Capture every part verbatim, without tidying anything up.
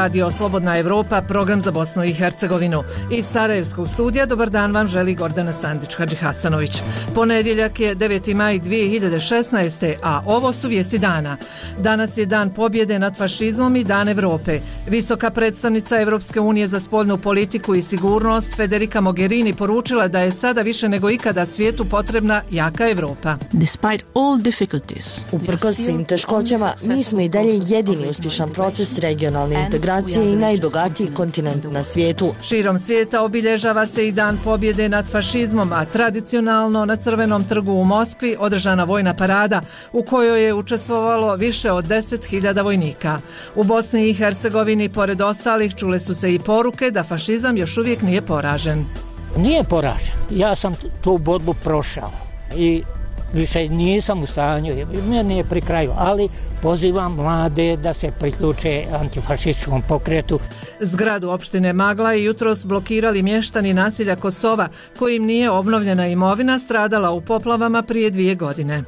Radio Slobodna Evropa, program za Bosnu i Hercegovinu. Iz Sarajevskog studija dobar dan vam želi Gordana Sandić-Hadži Hasanović. Ponedjeljak je deveti maj dvije hiljade šesnaeste. a ovo su vijesti dana. Danas je dan pobjede nad fašizmom i dan Evrope. Visoka predstavnica Evropske unije za spoljnu politiku i sigurnost Federica Mogherini poručila da je sada više nego ikada svijetu potrebna jaka Evropa. Uprkos svim teškoćama, mi smo i dalje jedini uspješan proces regionalne integracije i najbogatiji kontinent na svijetu. Širom svijeta obilježava se i dan pobjede nad fašizmom, a tradicionalno na Crvenom trgu u Moskvi održana vojna parada u kojoj je učestvovalo više od deset hiljada vojnika. U Bosni i Hercegovini, pored ostalih, čule su se i poruke da fašizam još uvijek nije poražen. Nije poražen. Ja sam tu borbu prošao i više nisam u stanju, meni je pri kraju, ali pozivam mlade da se priključe antifašističkom pokretu. Zgradu opštine Magla je jutros blokirali mještani naselja Kosova, kojim nije obnovljena imovina stradala u poplavama prije dvije godine.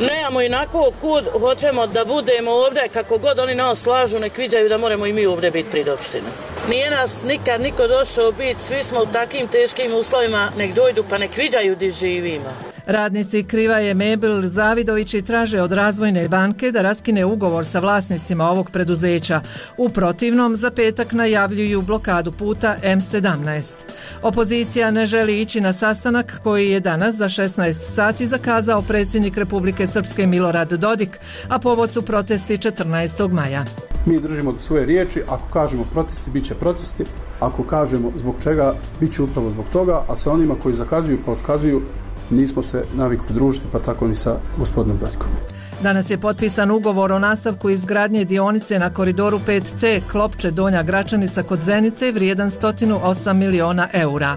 Nemamo inako kud hoćemo da budemo ovdje, kako god oni nas slažu, nek viđaju da moramo i mi ovdje biti pred opštinu. Nije nas nikad niko došao biti, svi smo u takim teškim uslovima, nek dojdu pa nek viđaju gdje živimo. Radnici Krivaje Mebel Zavidovići traže od Razvojne banke da raskine ugovor sa vlasnicima ovog preduzeća. U protivnom, za petak najavljuju blokadu puta em sedamnaest. Opozicija ne želi ići na sastanak koji je danas za šesnaest sati zakazao predsjednik Republike Srpske Milorad Dodik, a povod su protesti četrnaestog maja. Mi držimo do svoje riječi, ako kažemo protesti, bit će protesti, ako kažemo zbog čega, bit će upravo zbog toga, a sa onima koji zakazuju pa otkazuju, nismo se navikli družiti, pa tako ni sa gospodinom Dodikom. Danas je potpisan ugovor o nastavku izgradnje dionice na koridoru pet ce Klopče Donja Gračanica kod Zenice vrijedan sto osam miliona eura.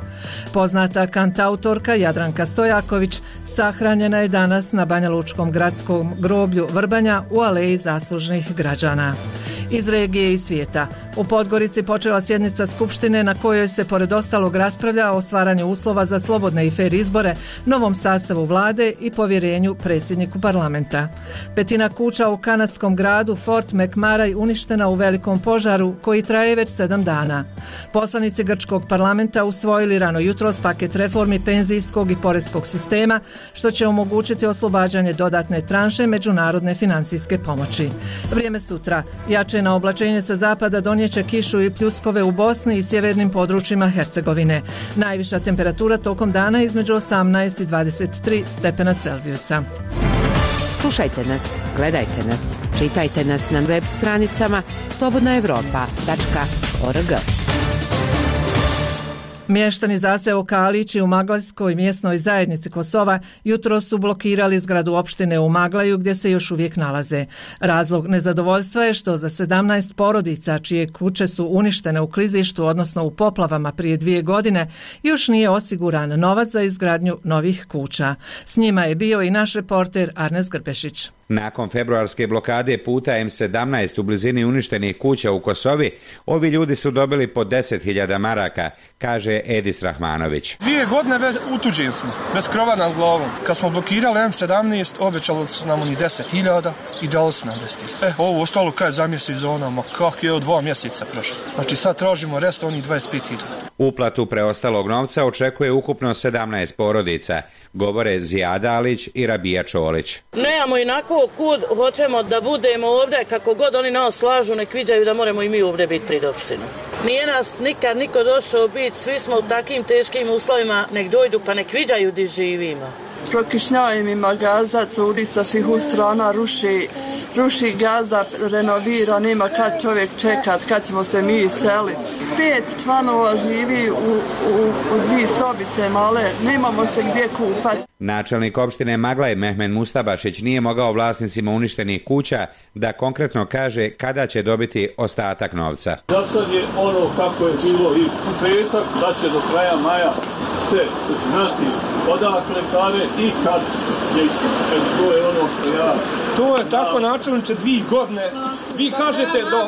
Poznata kantautorka Jadranka Stojaković sahranjena je danas na Banjalučkom gradskom groblju Vrbanja u aleji zaslužnih građana. Iz regije i svijeta. U Podgorici počela sjednica Skupštine na kojoj se pored ostalog raspravlja o stvaranju uslova za slobodne i fer izbore, novom sastavu vlade i povjerenju predsjedniku parlamenta. Petina kuća u kanadskom gradu Fort McMurray uništena u velikom požaru koji traje već sedam dana. Poslanici grčkog parlamenta usvojili rano jutros paket reformi penzijskog i poreskog sistema, što će omogućiti oslobađanje dodatne tranše međunarodne financijske pomoći. Vrijeme sutra. Jače na oblačenje sa zapada donijeće kišu i pljuskove u Bosni i sjevernim područjima Hercegovine. Najviša temperatura tokom dana između osamnaest i dvadeset tri stepena Celzijusa. Slušajte nas, gledajte nas, čitajte nas na web stranicama slobodna evropa tačka org. Mještani zaseoka Alići u Maglajskoj mjesnoj zajednici Kosova jutro su blokirali zgradu opštine u Maglaju gdje se još uvijek nalaze. Razlog nezadovoljstva je što za sedamnaest porodica čije kuće su uništene u klizištu, odnosno u poplavama prije dvije godine, još nije osiguran novac za izgradnju novih kuća. S njima je bio i naš reporter Arnes Grbešić. Nakon februarske blokade puta em sedamnaest u blizini uništenih kuća u Kosovi, ovi ljudi su dobili po deset hiljada maraka, kaže Edis Rahmanović. Dvije godine već utuđeni smo, bez krova nad glavom. Kad smo blokirali em sedamnaest, obećali su nam oni deset hiljada i dali su nam deset hiljada. E, ovo ostalo kaj za mjesec za ono, ma kak je od dva mjeseca prošlo. Znači sad tražimo rest, oni dvadeset pet hiljada. Uplatu preostalog novca očekuje ukupno sedamnaest porodica, govore Zijada Alić i Rabija Čolić. Nemamo inako kud hoćemo da budemo ovdje, kako god oni nas slažu, nek viđaju da moramo i mi ovdje biti pred opštinu. Nije nas nikad niko došao biti, svi smo u takim teškim uslovima, nek dojdu pa nek viđaju gdje živimo. Prokišnjava mi Gaza, curi sa svih strana, ruši, ruši Gaza, renovira, nema kad čovjek čekat, kad ćemo se mi iseliti. Pet članova živi u, u, u dvije sobice male, nemamo se gdje kupati. Načelnik opštine Maglaj Mehmed Mustabašić nije mogao vlasnicima uništenih kuća da konkretno kaže kada će dobiti ostatak novca. Za sad je ono kako je bilo i u petak, da će do kraja maja se znati odakle pare i kad je iskreno. To je ono što ja... To je tako načelniče dvije godine Vi kažete do,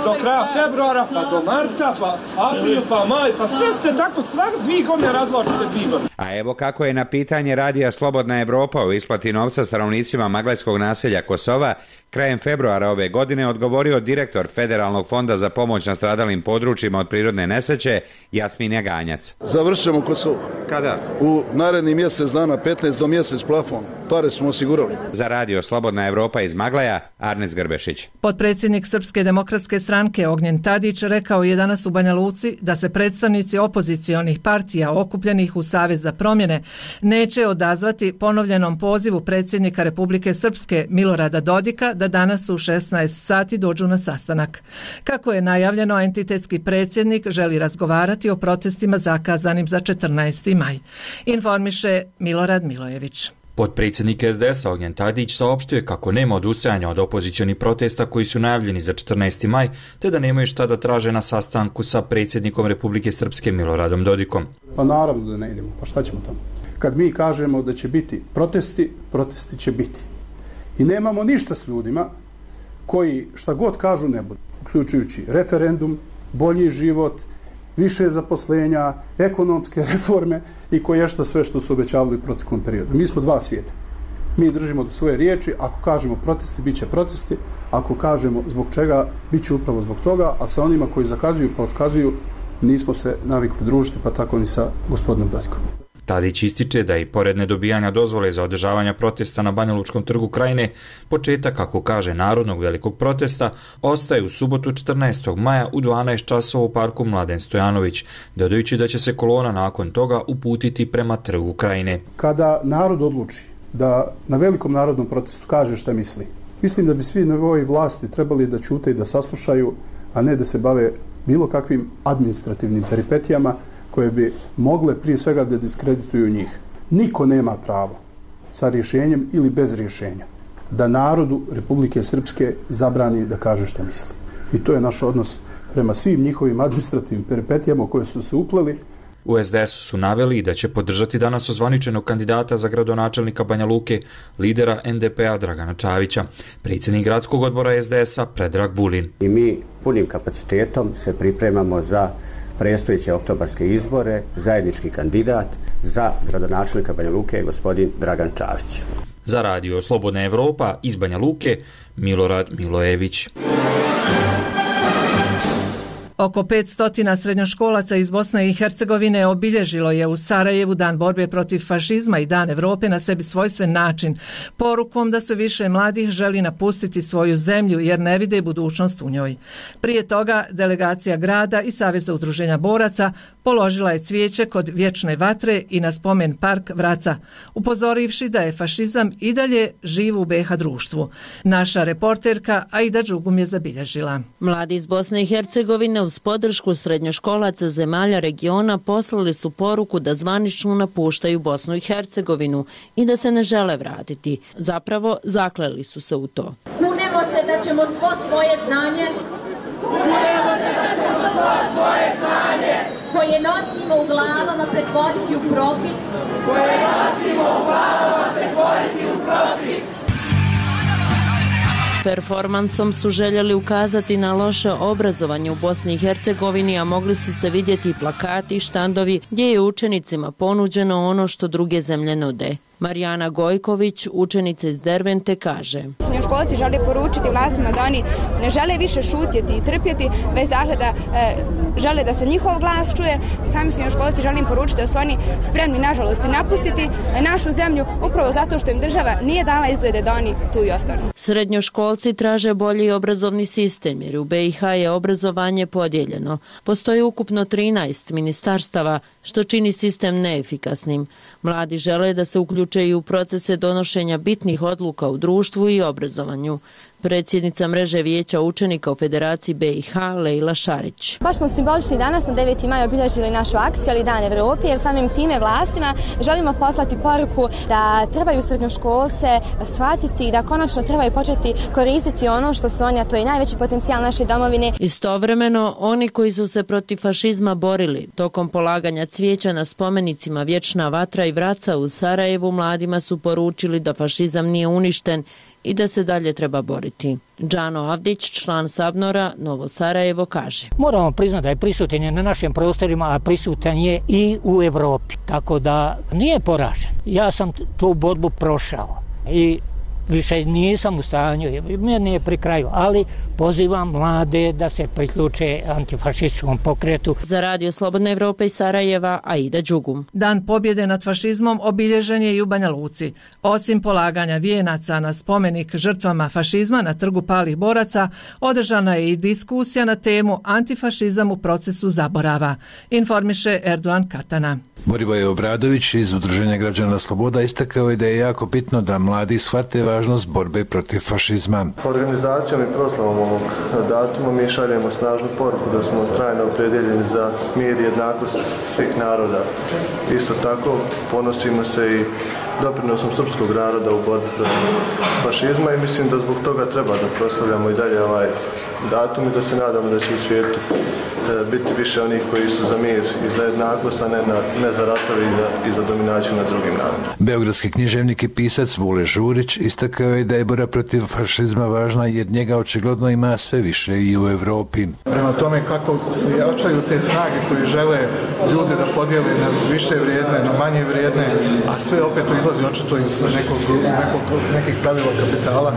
do kraja februara, pa do marta, pa april, pa maj, pa sve ste tako svak dvije godine razložite dvije godine. A evo kako je na pitanje radija Slobodna Evropa o isplati novca stanovnicima maglajskog naselja Kosova krajem februara ove godine odgovorio direktor Federalnog fonda za pomoć nastradalim područjima od prirodne nesreće Jasmin Jaganjac. Završimo Kosovo. Kada? U naredni mjesec dana, petnaest do mjesec plafon. Pare smo osigurali. Za radio Slobodna Evropa iz Maglaja, Arnes Grbešić. Potpredsjednik Srpske demokratske stranke Ognjen Tadić rekao je danas u Banja Luci da se predstavnici opozicionih partija okupljenih u Savez za promjene neće odazvati ponovljenom pozivu predsjednika Republike Srpske Milorada Dodika da danas u šesnaest sati dođu na sastanak. Kako je najavljeno, entitetski predsjednik želi razgovarati o protestima zakazanim za četrnaesti maj. Informiše Milorad Milojević. Potpredsjednik S D S-a Ognjen Tadić saopštio kako nema odustajanja od opozicionih protesta koji su najavljeni za četrnaesti maj, te da nemaju šta da traže na sastanku sa predsjednikom Republike Srpske Miloradom Dodikom. Pa naravno da ne idemo, pa šta ćemo tamo? Kad mi kažemo da će biti protesti, protesti će biti. I nemamo ništa s ljudima koji šta god kažu ne budu, uključujući referendum, bolji život, više zaposlenja, ekonomske reforme i koje što sve što su obećavali u proteklom periodu. Mi smo dva svijeta. Mi držimo do svoje riječi, ako kažemo protesti, bit će protesti, ako kažemo zbog čega, bit će upravo zbog toga, a sa onima koji zakazuju pa otkazuju, nismo se navikli družiti, pa tako ni sa gospodinom Dodikom. Tadić ističe da i pored nedobijanja dozvole za održavanja protesta na Banjalučkom trgu Krajine, početak, kako kaže, narodnog velikog protesta ostaje u subotu četrnaestog maja u dvanaest časova u parku Mladen Stojanović, dodajući da će se kolona nakon toga uputiti prema trgu Krajine. Kada narod odluči da na velikom narodnom protestu kaže šta misli, mislim da bi svi nivoi vlasti trebali da ćute i da saslušaju, a ne da se bave bilo kakvim administrativnim peripetijama koje bi mogle prije svega da diskredituju njih. Niko nema pravo sa rješenjem ili bez rješenja da narodu Republike Srpske zabrani da kaže što misli. I to je naš odnos prema svim njihovim administrativnim peripetijama u koje su se upleli. U S D S-u su naveli da će podržati danas ozvaničenog kandidata za gradonačelnika Banja Luke, lidera N D P-a Dragana Čavića, predsjednik gradskog odbora S D S-a Predrag Bulin. I mi punim kapacitetom se pripremamo za predstojeće oktobarske izbore. Zajednički kandidat za gradonačelnika Banja Luke je gospodin Dragan Čavić. Za radio Slobodna Evropa iz Banja Luke, Milorad Milojević. Oko petsto srednjoškolaca iz Bosne i Hercegovine obilježilo je u Sarajevu Dan borbe protiv fašizma i Dan Evrope na sebi svojstven način, porukom da sve više mladih želi napustiti svoju zemlju jer ne vide budućnost u njoj. Prije toga delegacija grada i Saveza udruženja boraca položila je cvijeće kod Vječne vatre i na spomen park Vraca, upozorivši da je fašizam i dalje živ u B iH društvu. Naša reporterka Aida Đugum je zabilježila. Mladi iz Bosne i Hercegovine uz podršku srednjoškolaca zemalja regiona poslali su poruku da zvanično napuštaju Bosnu i Hercegovinu i da se ne žele vratiti. Zapravo, zakleli su se u to. Kunemo se da ćemo svo svoje znanje Kunemo se da ćemo svo svoje znanje koje nosimo u glavama pretvoriti u profit koje nosimo u glavama pretvoriti u profit. Performansom su željeli ukazati na loše obrazovanje u Bosni i Hercegovini, a mogli su se vidjeti i plakati i štandovi gdje je učenicima ponuđeno ono što druge zemlje nude. Marijana Gojković, učenica iz Dervente, kaže: Srednjoškolci žele poručiti vlastima da oni ne žele više šutjeti i trpjeti, već dakle da e, žele da se njihov glas čuje. Sami srednjoškolci želim poručiti da su oni spremni, nažalost, i napustiti našu zemlju upravo zato što im država nije dala izglede da oni tu i ostanu. Srednjoškolci traže bolji obrazovni sistem jer u B iH je obrazovanje podijeljeno. Postoji ukupno trinaest ministarstava, što čini sistem neefikasnim. Mladi žele da se uključuju i u procese donošenja bitnih odluka u društvu i obrazovanju. Predsjednica mreže vijeća učenika u Federaciji B iH Lejla Šarić. Baš smo simbolični danas na deveti maj obilježili našu akciju, ali Dan Evrope, jer samim time vlastima želimo poslati poruku da trebaju srednjoškolce shvatiti da konačno trebaju početi koristiti ono što su oni, a to je najveći potencijal naše domovine. Istovremeno, oni koji su se protiv fašizma borili tokom polaganja cvijeća na spomenicima Vječna vatra i Vraca u Sarajevu, mladima su poručili da fašizam nije uništen i da se dalje treba boriti. Džano Avdić, član Sabnora Novo Sarajevo, kaže: Moramo priznati da je prisutan je na našim prostorima, a prisutan je i u Evropi. Tako da nije poražen. Ja sam tu borbu prošao i više nisam u stanju, meni je pri kraju, ali pozivam mlade da se priključe antifašističkom pokretu. Za Radio Slobodna Evropa iz Sarajeva, Aida Đugum. Dan pobjede nad fašizmom obilježen je i u Banja Luci. Osim polaganja vijenaca na spomenik žrtvama fašizma na trgu palih boraca, održana je i diskusija na temu antifašizam u procesu zaborava, informiše Erdogan Katana. Borivoje Obradović iz Udruženja građana Sloboda istakao je da je jako bitno da mladi shvate važnost borbe protiv fašizma. Organizacijom i proslavom ovog datuma mi šaljemo snažnu poruku da smo trajno opredjeljeni za mir i jednakost svih naroda. Isto tako ponosimo se i doprinosom srpskog naroda u borbi protiv fašizma i mislim da zbog toga treba da proslavljamo i dalje ovaj datum i da se nadamo da će u svijetu biti više onih koji su za mir i za jednakost, a ne, na, ne za ratove i za, i za dominaciju nad drugim narodima. Beogradski književnik i pisac Vule Žurić istakao je da je borba protiv fašizma važna jer njega očigledno ima sve više i u Evropi. Prema tome kako se jačaju te snage koje žele ljude da podijele na više vrijedne, na manje vrijedne, a sve opet to izlazi očito iz nekog, nekog, nekih pravila kapitala,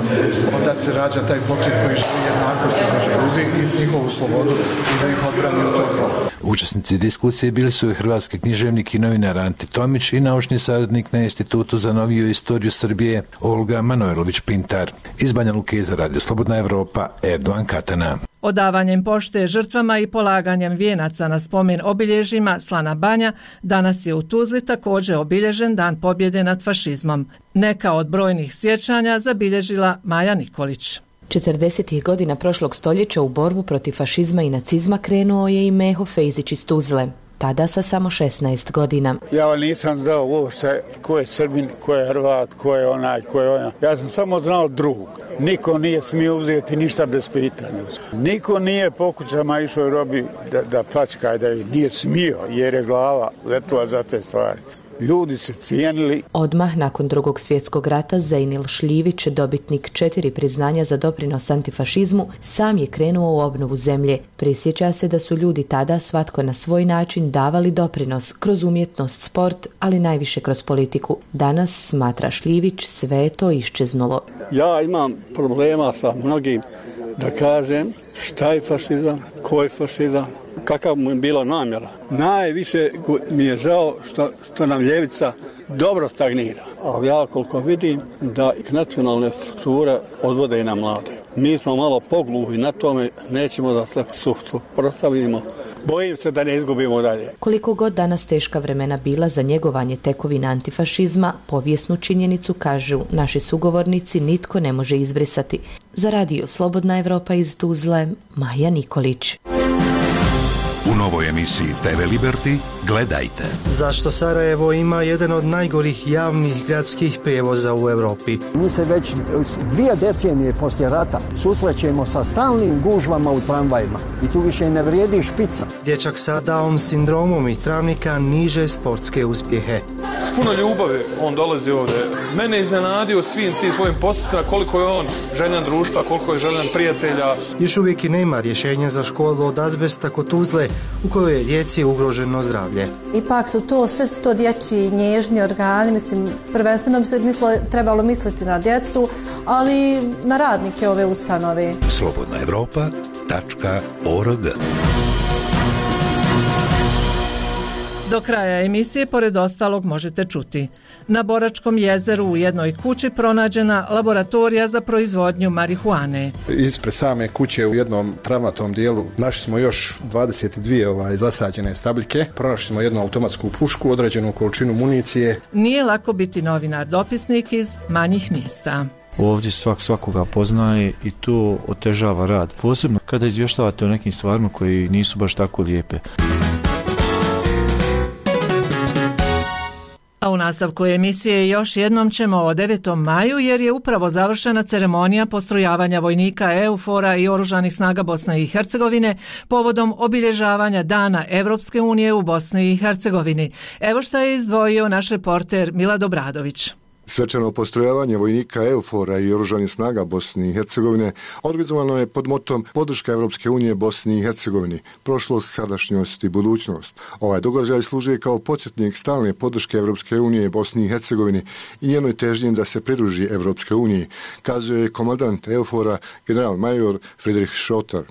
onda se rađa taj pokret koji želi jednakost između ljudi i njihovu slobodu i da ih odbrani od tog zla. Učesnici diskusije bili su i hrvatski književnik i novinar Ante Tomić i naučni savjetnik na Institutu za noviju istoriju Srbije Olga Manojlović-Pintar. Iz Banja Luke za Radio Slobodna Evropa, Erdogan Katana. Odavanjem pošte žrtvama i polaganjem vijenaca na spomen obilježjima Slana Banja, danas je u Tuzli također obilježen Dan pobjede nad fašizmom. Neka od brojnih sjećanja zabilježila Maja Nikolić. četrdesetih godina prošlog stoljeća u borbu protiv fašizma i nacizma krenuo je i Meho Fejzić iz Tuzle, tada sa samo šesnaest godina. Ja nisam znao uopšte ko je Srbin, ko je Hrvat, ko je onaj, ko je onaj. Ja sam samo znao drugog. Niko nije smio uzeti ništa bez pitanja. Niko nije po kućama išao robi da, da plačka, da nije smio jer je glava letila za te stvari. Ljudi se cijenili. Odmah nakon drugog svjetskog rata Zejnil Šljivić, dobitnik četiri priznanja za doprinos antifašizmu, sam je krenuo u obnovu zemlje. Prisjeća se da su ljudi tada svatko na svoj način davali doprinos kroz umjetnost, sport, ali najviše kroz politiku. Danas, smatra Šljivić, sve je to iščeznulo. Ja imam problema sa mnogim da kažem šta je fašizam, ko je fašizam, kakav mu je bila namjera. Najviše mi je žao što, što nam ljevica dobro stagnira. A ja koliko vidim da nacionalne strukture odvode i na mlade. Mi smo malo pogluhi na tome, nećemo da se suprotstavimo. Bojim se da ne izgubimo dalje. Koliko god danas teška vremena bila za njegovanje tekovina antifašizma, povijesnu činjenicu, kažu naši sugovornici, nitko ne može izbrisati. Za Radio Slobodna Evropa iz Tuzle, Maja Nikolić. U novoj emisiji te ve Liberty gledajte. Zašto Sarajevo ima jedan od najgorih javnih gradskih prijevoza u Evropi? Mi se već dvije decenije poslije rata susrećemo sa stalnim gužvama u tramvajima i tu više ne vrijedi špica. Dječak sa Down sindromom iz Travnika niže sportske uspjehe. S puno ljubavi on dolazi ovdje. Mene iznenadio svim, svim svojim postupima koliko je on željan društva, koliko je željan prijatelja. Još uvijek i nema rješenja za školu od azbesta kod Tuzle, u kojoj je djeci ugroženo zdravlje. Ipak su to, sve su to dječji nježni organi, mislim, prvenstveno bi se mislo, trebalo misliti na djecu, ali na radnike ove ustanove. slobodna evropa tačka org. Do kraja emisije, pored ostalog, možete čuti. Na Boračkom jezeru u jednoj kući pronađena laboratorija za proizvodnju marihuane. Ispred same kuće u jednom travnatom dijelu našli smo još dvadeset dvije ovaj, zasađene stabljike. Pronašli smo jednu automatsku pušku, određenu količinu municije. Nije lako biti novinar dopisnik iz manjih mjesta. Ovdje svak svakoga poznaje i to otežava rad. Posebno kada izvještavate o nekim stvarima koji nisu baš tako lijepe. A u nastavku emisije još jednom ćemo o devetom maju jer je upravo završena ceremonija postrojavanja vojnika EUFOR-a i Oružanih snaga Bosne i Hercegovine povodom obilježavanja Dana Evropske unije u Bosni i Hercegovini. Evo šta je izdvojio naš reporter Milad Obradović. Svečano postrojavanje vojnika EUFOR-a i oružanih snaga Bosne i Hercegovine organizovano je pod motom podrška Evropske unije Bosni i Hercegovini, prošlost, sadašnjost i budućnost. Ovaj događaj služi kao podsjetnik stalne podrške Evropske unije Bosni i Hercegovini i njenoj težnji da se pridruži Evropskoj uniji, kazuje komandant EUFOR-a general major Friedrich Schotter.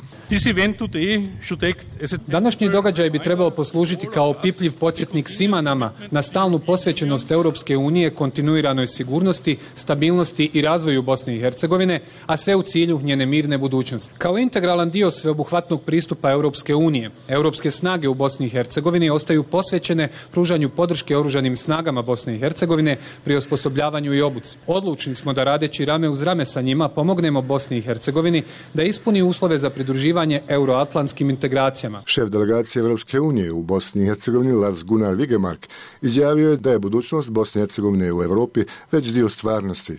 Današnji događaj bi trebao poslužiti kao opipljiv podsjetnik svima nama na stalnu posvećenost Europske unije kontinuiranoj sigurnosti, stabilnosti i razvoju Bosne i Hercegovine, a sve u cilju njene mirne budućnosti. Kao integralan dio sveobuhvatnog pristupa Europske unije, europske snage u Bosni i Hercegovini ostaju posvećene pružanju podrške oružanim snagama Bosne i Hercegovine pri osposobljavanju i obuci. Odlučni smo da radeći rame uz rame sa njima pomognemo Bosni i Hercegovini da ispuni uslove za pridruživanje euroatlantskim integracijama. Šef delegacije Evropske unije u Bosni i Hercegovini Lars Gunnar Vigemark izjavio je da je budućnost Bosne i Hercegovine u Evropi već dio stvarnosti.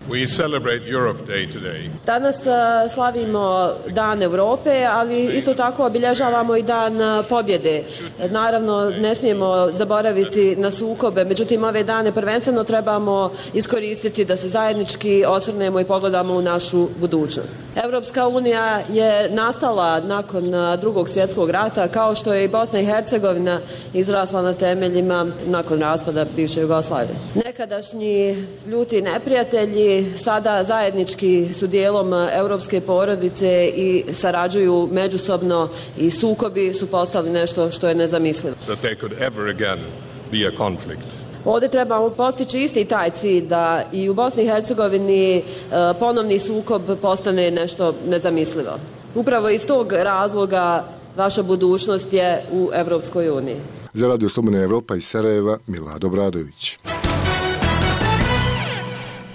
Danas slavimo Dan Europe, ali isto tako obilježavamo i Dan pobjede. Naravno, ne smijemo zaboraviti na sukobe, međutim ove dane prvenstveno trebamo iskoristiti da se zajednički osvrnemo i pogledamo u našu budućnost. Evropska unija je nastala nakon Drugog svjetskog rata, kao što je i Bosna i Hercegovina izrasla na temeljima nakon raspada bivše Jugoslavije. Nekadašnji ljuti neprijatelji sada zajednički su dijelom europske porodice i sarađuju međusobno i sukobi su postali nešto što je nezamislivo. Ovdje trebamo postići isti taj cilj da i u Bosni i Hercegovini ponovni sukob postane nešto nezamislivo. Upravo iz tog razloga vaša budućnost je u Evropskoj uniji. Za Radio Slobodna Evropa iz Sarajeva, Milad Obradović.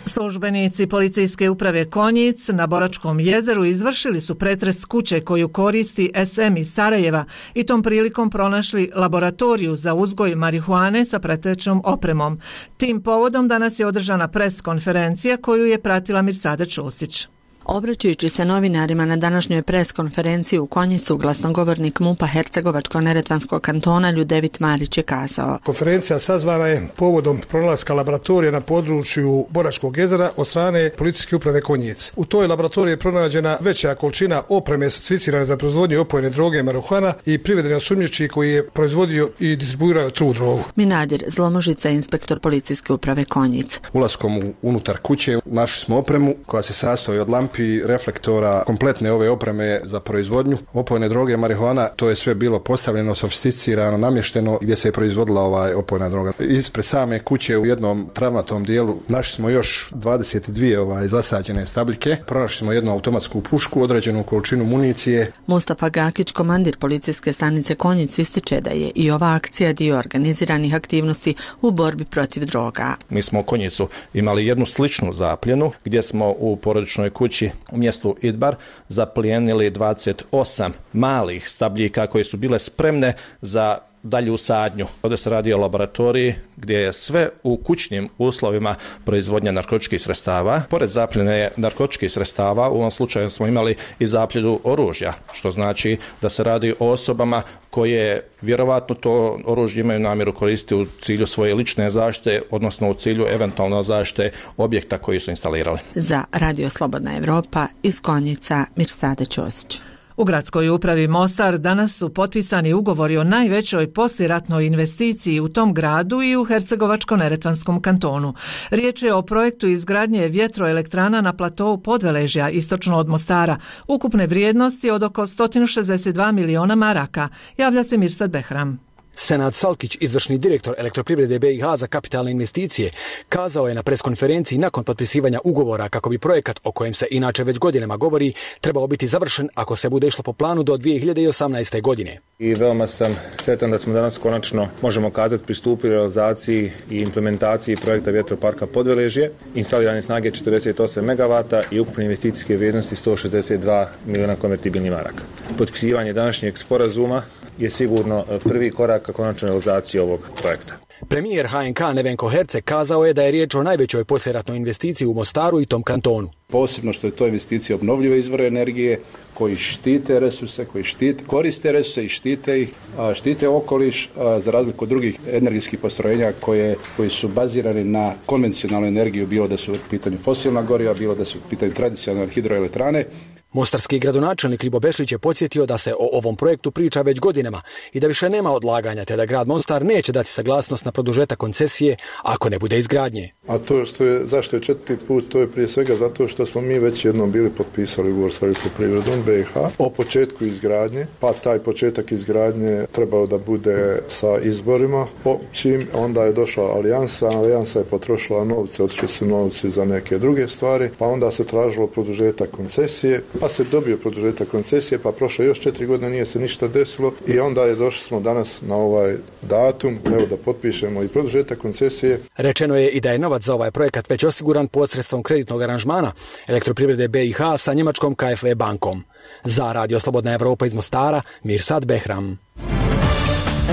Službenici policijske uprave Konjic na Boračkom jezeru izvršili su pretres kuće koju koristi S M iz Sarajeva i tom prilikom pronašli laboratoriju za uzgoj marihuane sa pratećom opremom. Tim povodom danas je održana pres konferencija koju je pratila Mirsada Čusić. Obraćajući se novinarima na današnjoj pres konferenciji u Konjicu, glasnogovornik MUP-a Hercegovačko-neretvanskog kantona Ljudevit Marić je kazao. Konferencija sazvana je povodom pronalaska laboratorije na području Boračkog jezera od strane policijske uprave Konjic. U toj laboratoriji je pronađena veća količina opreme certificirane za proizvodnju opojne droge marihuana i priveden osumnjičeni koji je proizvodio i distribuirao tu drogu. Minadir Zlomožica, inspektor policijske uprave Konjic. Ulaskom unutar kuće našli smo opremu koja se sastoji od lampi, reflektora, kompletne ove opreme za proizvodnju opojne droge, marihuana. To je sve bilo postavljeno, sofisticirano, namješteno gdje se je proizvodila ovaj opojna droga. Ispred same kuće u jednom travnatom dijelu našli smo još dvadeset dvije ovaj zasađene stabljike. Pronašli smo jednu automatsku pušku, određenu količinu municije. Mustafa Gakić, komandir policijske stanice Konjic, ističe da je i ova akcija dio organiziranih aktivnosti u borbi protiv droga. Mi smo u Konjicu imali jednu sličnu zapljenu gdje smo u porodičnoj kući u mjestu Idbar zaplijenili dvadeset osam malih stabljika koje su bile spremne za dalju sadnju. Ovdje se radi o laboratoriji gdje je sve u kućnim uslovima proizvodnja narkotičkih sredstava. Pored zapljene narkotičkih sredstava u ovom slučaju smo imali i zapljenu oružja, što znači da se radi o osobama koje vjerovatno to oružje imaju namjeru koristiti u cilju svoje lične zaštite, odnosno u cilju eventualno zaštite objekta koji su instalirali. Za Radio Slobodna Evropa iz Konjica, Mirsada Ćosić. U gradskoj upravi Mostar danas su potpisani ugovori o najvećoj poslijeratnoj investiciji u tom gradu i u Hercegovačko-neretvanskom kantonu. Riječ je o projektu izgradnje vjetroelektrana na platou Podveležja, istočno od Mostara, ukupne vrijednosti od oko sto šezdeset dva miliona maraka, javlja se Mirsad Behram. Senad Salkić, izvršni direktor Elektroprivrede B i H za kapitalne investicije, kazao je na preskonferenciji nakon potpisivanja ugovora kako bi projekat, o kojem se inače već godinama govori, trebao biti završen ako se bude išlo po planu do dvije hiljade osamnaeste. godine. I veoma sam sretan da smo danas konačno, možemo kazati, pristupili realizaciji i implementaciji projekta vjetroparka Podveležje, instalirane snage četrdeset osam megavata i ukupne investicijske vrijednosti sto šezdeset dva miliona konvertibilnih maraka. Potpisivanje današnjeg sporazuma je sigurno prvi korak ka konačnoj realizaciji ovog projekta. Premijer H N K Nevenko Herceg kazao je da je riječ o najvećoj poslijeratnoj investiciji u Mostaru i tom kantonu. Posebno što je to investicija obnovljive izvore energije koji štite resurse, koji štite, koriste resurse i štite ih, a štite okoliš a za razliku od drugih energijskih postrojenja koje, koji su bazirani na konvencionalnu energiju, bilo da su u pitanju fosilna goriva, bilo da su u pitanju tradicionalne hidroelektrane. Mostarski gradonačelnik Ljibo Bešlić je podsjetio da se o ovom projektu priča već godinama i da više nema odlaganja, te da grad Mostar neće dati saglasnost na produžetak koncesije ako ne bude izgradnje. A to što je, zašto je četvrti put, to je prije svega zato što smo mi već jednom bili potpisali ugovor sa Elektroprivredom B i H o početku izgradnje, pa taj početak izgradnje trebao da bude sa izborima. Po čim onda je došla alijansa, alijansa je potrošila novce, otišli su novci za neke druge stvari, pa onda se tražilo produžetak koncesije. Pa se dobio produžetak koncesije, pa prošlo još četiri godine, nije se ništa desilo i onda je došli smo danas na ovaj datum, evo da potpišemo i produžetak koncesije. Rečeno je i da je novac za ovaj projekat već osiguran posredstvom kreditnog aranžmana Elektroprivrede B i H sa njemačkom K F V bankom. Za Radio Slobodna Evropa iz Mostara, Mirsad Behram.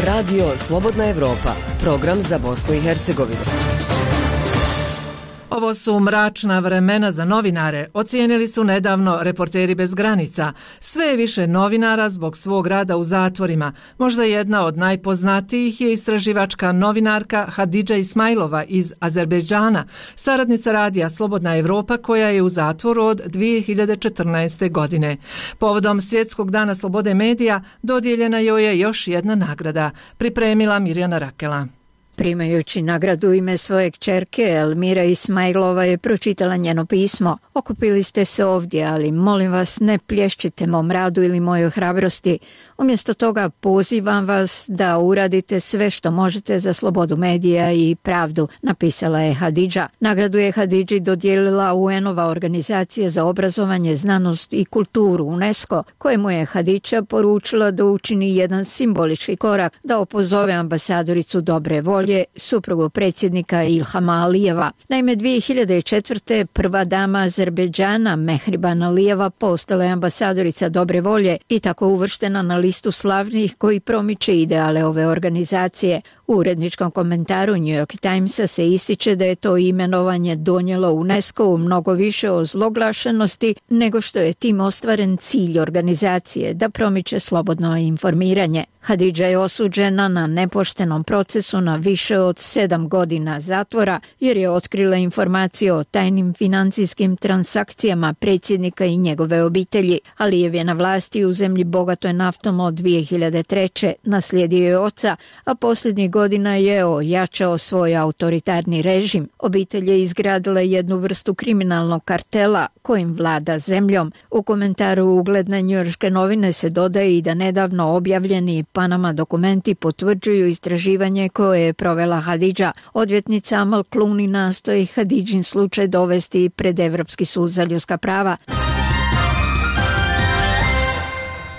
Radio Slobodna Evropa, program za Bosnu i Hercegovinu. Ovo su mračna vremena za novinare, ocijenili su nedavno Reporteri bez granica. Sve je više novinara zbog svog rada u zatvorima. Možda jedna od najpoznatijih je istraživačka novinarka Hadidža Ismailova iz Azerbejdžana, saradnica radija Slobodna Evropa koja je u zatvoru od dvije hiljade četrnaeste. godine. Povodom Svjetskog dana slobode medija dodijeljena joj je još jedna nagrada, pripremila Mirjana Rakela. Primajući nagradu u ime svoje kćerke, Elmira Ismailova je pročitala njeno pismo. Okupili ste se ovdje, ali molim vas ne plješćite mom radu ili mojoj hrabrosti. Umjesto toga pozivam vas da uradite sve što možete za slobodu medija i pravdu, napisala je Hadidža. Nagradu je Hadidži dodijelila U N-ova organizacija za obrazovanje, znanost i kulturu UNESCO, kojemu je Hadidža poručila da učini jedan simbolički korak, da opozove ambasadoricu dobre volje, suprugu predsjednika Ilhama Alijeva. Naime, dvije hiljade četvrte. prva dama Azerbejdžana Mehriban Alijeva postala je ambasadorica dobre volje i tako uvrštena na listu slavnih koji promiče ideale ove organizacije. U uredničkom komentaru New York Timesa se ističe da je to imenovanje donijelo UNESCO mnogo više o zloglašenosti nego što je tim ostvaren cilj organizacije da promiče slobodno informiranje. Hadidža je osuđena na nepoštenom procesu na više od sedam godina zatvora jer je otkrila informacije o tajnim financijskim transakcijama predsjednika i njegove obitelji. Alijev je na vlasti u zemlji bogatoj naftom od dvije hiljade treće. Naslijedio je oca, a posljednjih godina je ojačao svoj autoritarni režim. Obitelj je izgradila jednu vrstu kriminalnog kartela kojim vlada zemljom. U komentaru ugledne njujorške novine se dodaje i da nedavno objavljeni Panama dokumenti potvrđuju istraživanje koje je provela Hadidža. Odvjetnica Amal Clooney nastoji Hadidžin slučaj dovesti pred Evropski sud za ljudska prava.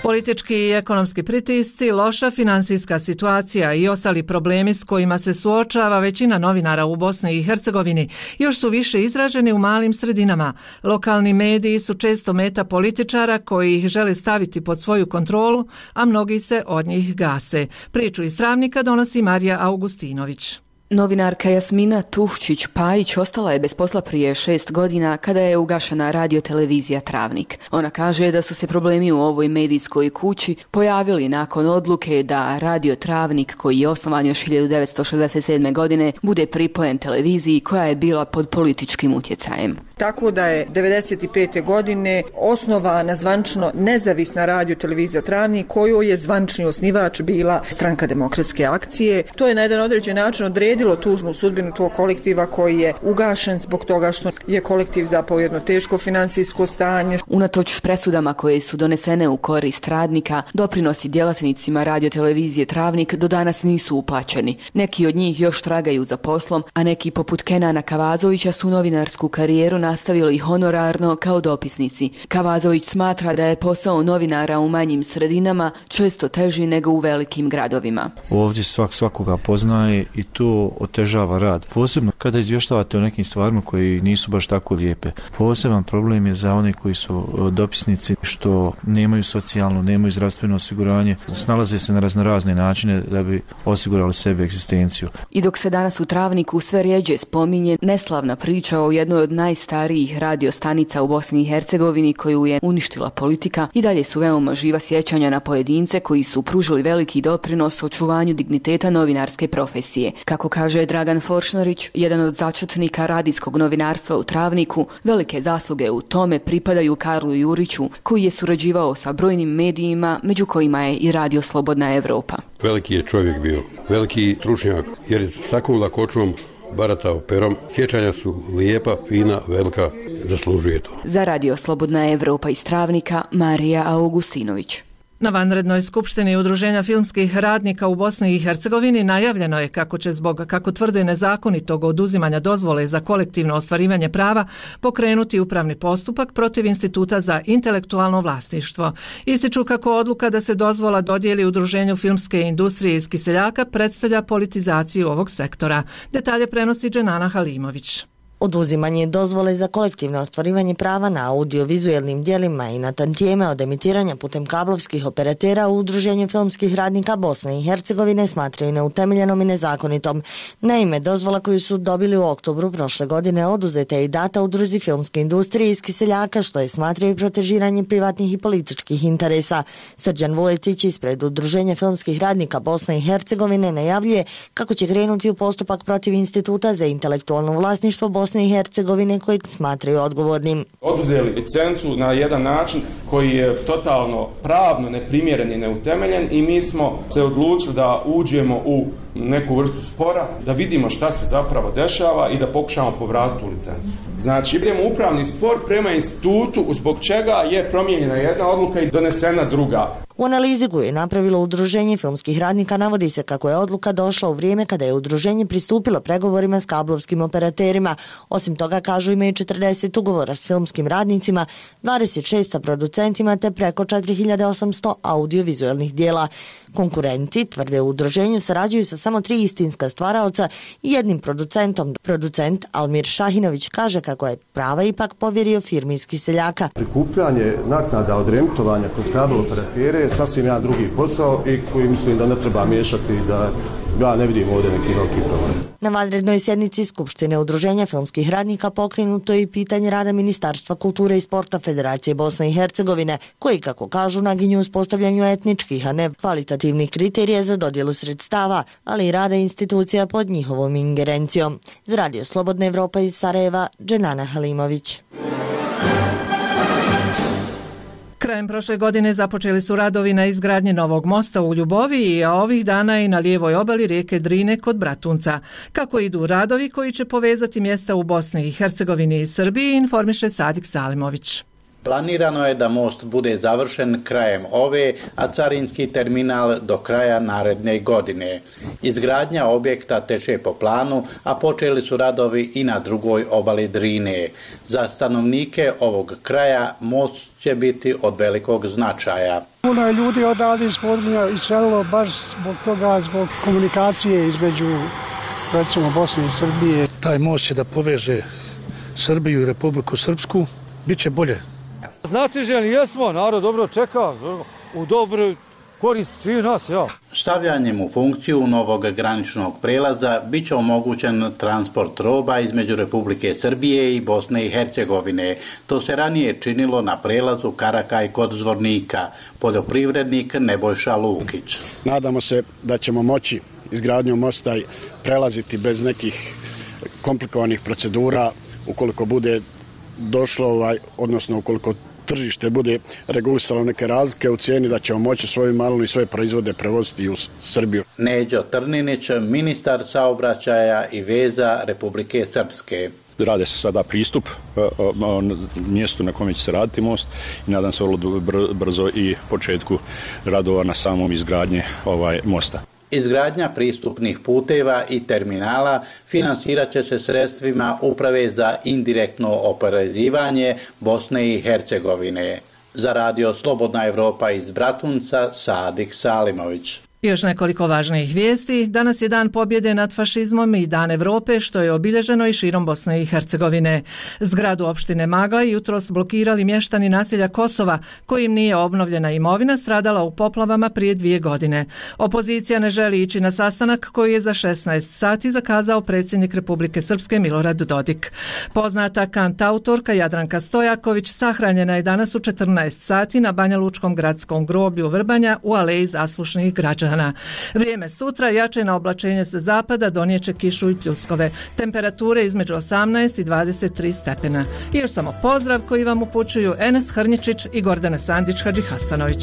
Politički i ekonomski pritisci, loša finansijska situacija i ostali problemi s kojima se suočava većina novinara u Bosni i Hercegovini još su više izraženi u malim sredinama. Lokalni mediji su često meta političara koji ih žele staviti pod svoju kontrolu, a mnogi se od njih gase. Priču iz Travnika donosi Marija Augustinović. Novinarka Jasmina Tuhčić-Pajić ostala je bez posla prije šest godina kada je ugašena radiotelevizija Travnik. Ona kaže da su se problemi u ovoj medijskoj kući pojavili nakon odluke da radio Travnik, koji je osnovan još hiljadu devetsto šezdeset sedme. godine, bude pripojen televiziji koja je bila pod političkim utjecajem. Tako da je devedeset pete. godine osnovana zvančno nezavisna radiotelevizija Travnik, kojoj je zvančni osnivač bila Stranka demokratske akcije. To je na jedan određen način odredilo tužnu sudbinu tog kolektiva koji je ugašen zbog toga što je kolektiv zapao jedno teško financijsko stanje. Unatoč presudama koje su donesene u korist radnika, doprinosi djelatnicima radiotelevizije Travnik do danas nisu uplaćeni. Neki od njih još tragaju za poslom, a neki poput Kenana Kavazovića su novinarsku karijeru nastavili honorarno kao dopisnici. Kavazović smatra da je posao novinara u manjim sredinama često teži nego u velikim gradovima. Ovdje svak svakoga poznaje i to to otežava rad. Posebno kada izvještavate o nekim stvarima koji nisu baš tako lijepe. Poseban problem je za one koji su dopisnici što nemaju socijalno, nemaju zdravstveno osiguranje, snalaze se na raznorazne načine da bi osigurali sebi egzistenciju. I dok se danas u Travniku sve rjeđe spominje neslavna priča o jednoj od najstarijih radiostanica u Bosni i Hercegovini koju je uništila politika, i dalje su veoma živa sjećanja na pojedince koji su pružili veliki doprinos očuvanju digniteta novinarske profesije. Kako kaže Dragan Foršnarić, jedan od začetnika radijskog novinarstva u Travniku, velike zasluge u tome pripadaju Karlu Juriću, koji je surađivao sa brojnim medijima, među kojima je i Radio Slobodna Evropa. Veliki je čovjek bio, veliki stručnjak, jer je s takvom lakoćom baratao perom. Sjećanja su lijepa, fina, velika, zaslužuje to. Za Radio Slobodna Evropa iz Travnika, Marija Augustinović. Na vanrednoj skupštini Udruženja filmskih radnika u Bosni i Hercegovini najavljeno je kako će zbog, kako tvrde, nezakonitog oduzimanja dozvole za kolektivno ostvarivanje prava pokrenuti upravni postupak protiv Instituta za intelektualno vlasništvo. Ističu kako odluka da se dozvola dodijeli Udruženju filmske industrije iz Kiseljaka predstavlja politizaciju ovog sektora. Detalje prenosi Dženana Halimović. Oduzimanje dozvole za kolektivno ostvarivanje prava na audiovizualnim dijelima i na tantijeme od emitiranja putem kablovskih operatera u Udruženju filmskih radnika Bosne i Hercegovine smatraju neutemeljenom i nezakonitom. Naime, dozvola koju su dobili u oktobru prošle godine oduzeta je i data Udruzi filmske industrije iz Kiseljaka, što je smatraju protežiranje privatnih i političkih interesa. Srđan Vuletić ispred Udruženja filmskih radnika Bosne i Hercegovine najavljuje kako će krenuti u postupak protiv Instituta za intelektualno vlasništvo Bosne i Hercegovine kojeg smatraju odgovornim. Oduzeli licencu na jedan način koji je totalno pravno neprimjeren i neutemeljen i mi smo se odlučili da uđemo u neku vrstu spora, da vidimo šta se zapravo dešava i da pokušamo povratiti tu licencu. Znači, idemo u upravni spor prema institutu zbog čega je promijenjena jedna odluka i donesena druga. U analizi koju je napravilo Udruženje filmskih radnika navodi se kako je odluka došla u vrijeme kada je udruženje pristupilo pregovorima s kablovskim operaterima. Osim toga, kažu, imaju četrdeset ugovora s filmskim radnicima, dvadeset šest sa producentima te preko četiri hiljade osamsto audiovizualnih dijela. Konkurenti, tvrde u udruženju, sarađuju sa samo tri istinska stvaraoca i jednim producentom. Producent Almir Šahinović kaže kako je prava ipak povjerio firmi iz Kiseljaka. Prikupljanje naknada od reemitovanja kroz kabel operatere je sasvim jedan drugi posao i koji mislim da ne treba miješati, da ja ne vidim ovdje neki veliki problem. Na vanrednoj sjednici Skupštine Udruženja filmskih radnika pokrenuto je i pitanje rada Ministarstva kulture i sporta Federacije Bosne i Hercegovine, koji, kako kažu, naginju uspostavljanju etničkih, a ne kvalitativnih kriterija za dodjelu sredstava, ali i rada institucija pod njihovom ingerencijom. Za Radio Slobodna Evropa iz Sarajeva, Dženana Halimović. Krajem prošle godine započeli su radovi na izgradnji novog mosta u Ljuboviji, a ovih dana i na lijevoj obali rijeke Drine kod Bratunca. Kako idu radovi koji će povezati mjesta u Bosni i Hercegovini i Srbiji, informiše Sadik Salimović. Planirano je da most bude završen krajem ove, a carinski terminal do kraja naredne godine. Izgradnja objekta teče po planu, a počeli su radovi i na drugoj obali Drine. Za stanovnike ovog kraja most će biti od velikog značaja. Puno je ljudi odavde iz područja iselilo baš zbog toga, zbog komunikacije između, recimo, Bosne i Srbije. Taj most će da poveže Srbiju i Republiku Srpsku, bit će bolje. Znate ženi, jesmo, narod dobro čeka, u dobroj korist svi nas, ja. Stavljanjem u funkciju novog graničnog prelaza bit će omogućen transport roba između Republike Srbije i Bosne i Hercegovine. To se ranije činilo na prelazu Karakaj kod Zvornika. Poljoprivrednik Nebojša Lukić. Nadamo se da ćemo moći izgradnjom mosta prelaziti bez nekih komplikovanih procedura ukoliko bude došlo, ovaj, odnosno ukoliko tržište bude regulisalo neke razlike u cijeni, da ćemo moći svoju malinu i svoje proizvode prevoziti u Srbiju. Neđo Trninić, ministar saobraćaja i veza Republike Srpske. Rade se sada pristup mjestu na kome će se raditi most i nadam se vrlo brzo i početku radova na samom izgradnje ovaj mosta. Izgradnja pristupnih puteva i terminala financirat će se sredstvima Uprave za indirektno oporezivanje Bosne i Hercegovine. Za Radio Slobodna Evropa iz Bratunca, Sadik Salimović. I još nekoliko važnijih vijesti. Danas je dan pobjede nad fašizmom i dan Europe, što je obilježeno i širom Bosne i Hercegovine. Zgradu opštine Magla jutros blokirali mještani naselja Kosova, kojim nije obnovljena imovina stradala u poplavama prije dvije godine. Opozicija ne želi ići na sastanak koji je za šesnaest sati zakazao predsjednik Republike Srpske Milorad Dodik. Poznata kantautorka Jadranka Stojaković sahranjena je danas u četrnaest sati na Banjalučkom gradskom groblju Vrbanja u aleji zaslušnih građana. Vrijeme sutra, jačeno oblačenje sa zapada donijeće kišu i pljuskove. Temperature između osamnaest i dvadeset tri stepena. I još samo pozdrav koji vam upućuju Enes Hrnjičić i Gordana Sandić Hadžihasanović.